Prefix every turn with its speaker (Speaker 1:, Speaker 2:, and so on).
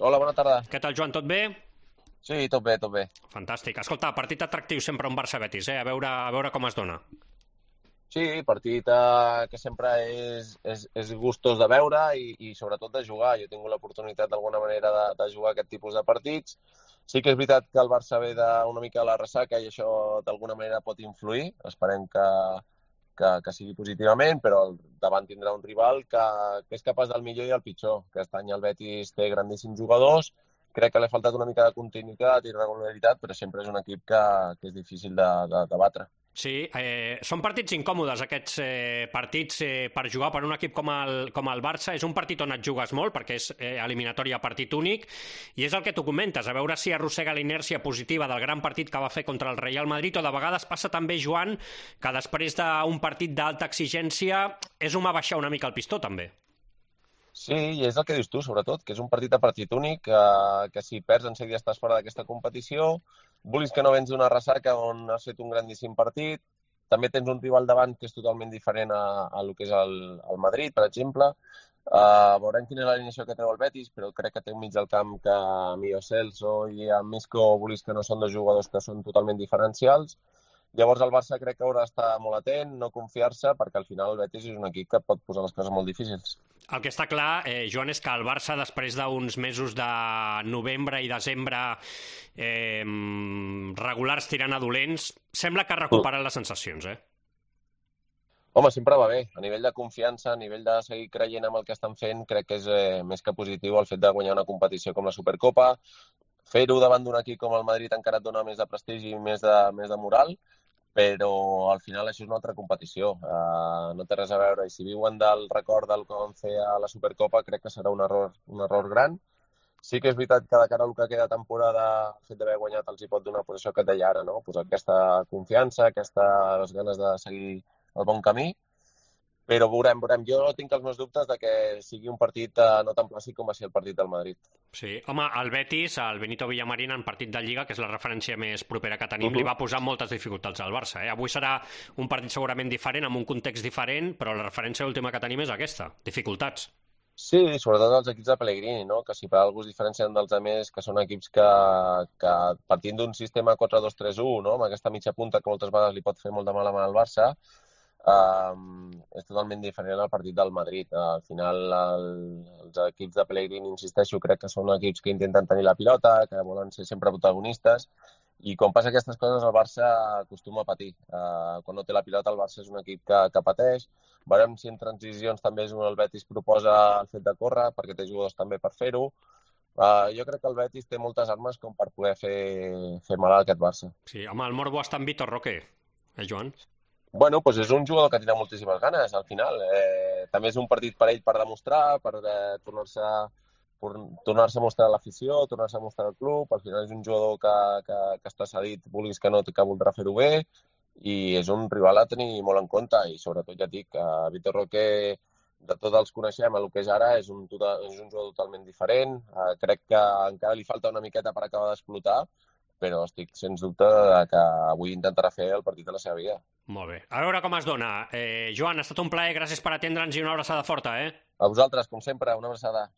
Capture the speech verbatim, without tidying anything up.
Speaker 1: Hola, bona tarda.
Speaker 2: Què tal, Joan, tot bé?
Speaker 1: Sí, tot bé, tot bé.
Speaker 2: Fantàstic. Escolta, partit atractiu sempre un Barça-Betis, eh? A veure, a veure com es dona.
Speaker 1: Sí, partit eh, que sempre és, és, és gustós de veure i, i sobretot de jugar. Jo he tingut l'oportunitat d'alguna manera de, de jugar aquest tipus de partits. Sí que és veritat que el Barça ve d'una mica a la ressaca i això d'alguna manera pot influir. Esperem que, que, que sigui positivament, però al davant tindrà un rival que, que és capaç del millor i el pitjor. Aquest any el Betis té grandíssims jugadors. Crec que li ha faltat una mica de continuïtat i regularitat, però sempre és un equip que, que és difícil de, de, de batre.
Speaker 2: Sí, eh, són partits incòmodes aquests eh, partits eh, per jugar per un equip com el, com el Barça. És un partit on et jugues molt perquè és eh, eliminatòria partit únic i és el que tu comentes, a veure si arrossega la inèrcia positiva del gran partit que va fer contra el Real Madrid, o de vegades passa també, Joan, que després d'un partit d'alta exigència és home baixar una mica el pistó també.
Speaker 1: Sí, i és el que dius tu, sobretot, que és un partit a partit únic, que, que si perds en seguida estàs fora d'aquesta competició, vulguis que no vens d'una ressaca on has fet un grandíssim partit, també tens un rival davant que és totalment diferent a, a lo que és el, el Madrid, per exemple. Uh, veurem quina és l'alineació que treu el Betis, però crec que té un mig del camp que a Mio Celso i a Misco, vulguis que no són dos jugadors que són totalment diferencials. Llavors el Barça crec que haurà d'estar molt atent, no confiar-se, perquè al final el Betis és un equip que pot posar les coses molt difícils.
Speaker 2: El que està clar, eh, Joan, és que el Barça, després d'uns mesos de novembre i desembre eh, regulars tirant a dolents, sembla que ha recuperat les sensacions, eh?
Speaker 1: Home, sempre va bé. A nivell de confiança, a nivell de seguir creient amb el que estan fent, crec que és eh, més que positiu el fet de guanyar una competició com la Supercopa. Fer-ho davant d'un equip com el Madrid encara et dona més de prestigi i més de, més de moral, però al final això és una altra competició. Uh, no té res a veure. I si viuen del record del que vam fer a la Supercopa, crec que serà un error, un error gran. Sí que és veritat que de cara al que queda temporada, el fet d'haver guanyat els hi pot donar pues, això que et deia ara, no? Pues aquesta confiança, aquestes ganes de seguir el bon camí. Però veurem, veurem. Jo tinc els meus dubtes de que sigui un partit eh, no tan clàssic com va ser el partit del Madrid.
Speaker 2: Sí, home, el Betis, el Benito Villamarín, en partit de Lliga, que és la referència més propera que tenim, uh -huh. li va posar moltes dificultats al Barça. Eh? Avui serà un partit segurament diferent, amb un context diferent, però la referència última que tenim és aquesta, dificultats.
Speaker 1: Sí, sobretot els equips de Pellegrini, no? Que si per alguna cosa es diferencien dels altres, que són equips que, que partint d'un sistema quatre dos tres u, no? Amb aquesta mitja punta que moltes vegades li pot fer molt de mal al Barça, Um, és totalment diferent al partit del Madrid. Uh, al final el, els equips de Pellegrini, insisteixo, crec que són equips que intenten tenir la pilota, que volen ser sempre protagonistes, i quan passa aquestes coses el Barça acostuma a patir. Uh, quan no té la pilota el Barça és un equip que, que pateix. Veurem si en transicions també és un el Betis proposa el fet de córrer, perquè té jugadors també per fer-ho. Uh, jo crec que el Betis té moltes armes com per poder fer, fer mal a aquest Barça.
Speaker 2: Sí, home, el morbo està en Vitor Roque, eh, Joan?
Speaker 1: Bueno, doncs és un jugador que tindrà moltíssimes ganes, al final. Eh, també és un partit per ell per demostrar, per eh, tornar-se tornar-se a mostrar a l'afició, tornar-se a mostrar al club. Al final és un jugador que, que, que està cedit, vulguis que no, que voldrà fer-ho bé, i és un rival a tenir molt en compte. I sobretot, ja et dic, que Vitor Roque, de tots els coneixem, el que és ara, és un, total, és un jugador totalment diferent. Eh, crec que encara li falta una miqueta per acabar d'explotar, però estic sens dubte que avui intentarà fer el partit de la seva vida.
Speaker 2: Molt bé. A veure com es dona. Eh, Joan, ha estat un plaer, gràcies per atendre'ns i una abraçada forta, eh?
Speaker 1: A vosaltres, com sempre, una abraçada.